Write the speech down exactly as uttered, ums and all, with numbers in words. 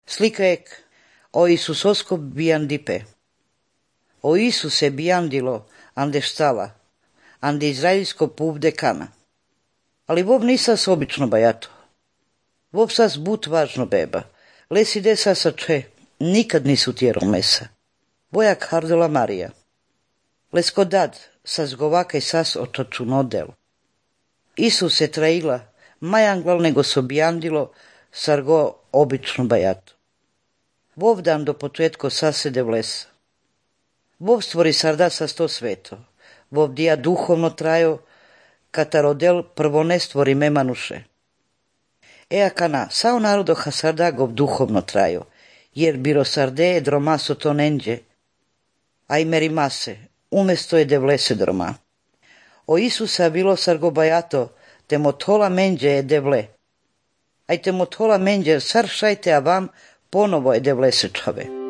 Slika ek o Isusosko bijandipe. O Isuse bijandilo ande štala, ande izraelsko puvde kana. Ali vov nisas obično bajato. Vov sas but važno beba. Les ide sasa če, nikad nisu tjero mesa. Bojak hardela Marija. Lesko dad, sas govaka i sas otočuno del. Isus se traila, majanglal nego so bijandilo, sargo obično bajato. Vov dan do početko sasede v lesa. Vov stvori sarda sa sto sveto. Vov dija duhovno trajo, katarodel prvo ne stvori memanuše. Ea kana, sao narodo ha sarda gov duhovno trajo, jer biro sarde dromaso to nenđe, a i meri mase, umesto je devlese droma. O Isusa bilo sargo bajato, te mothola menđe je devle. Aj te mothola menđe sar šajte a vam ponovo je devlese čove.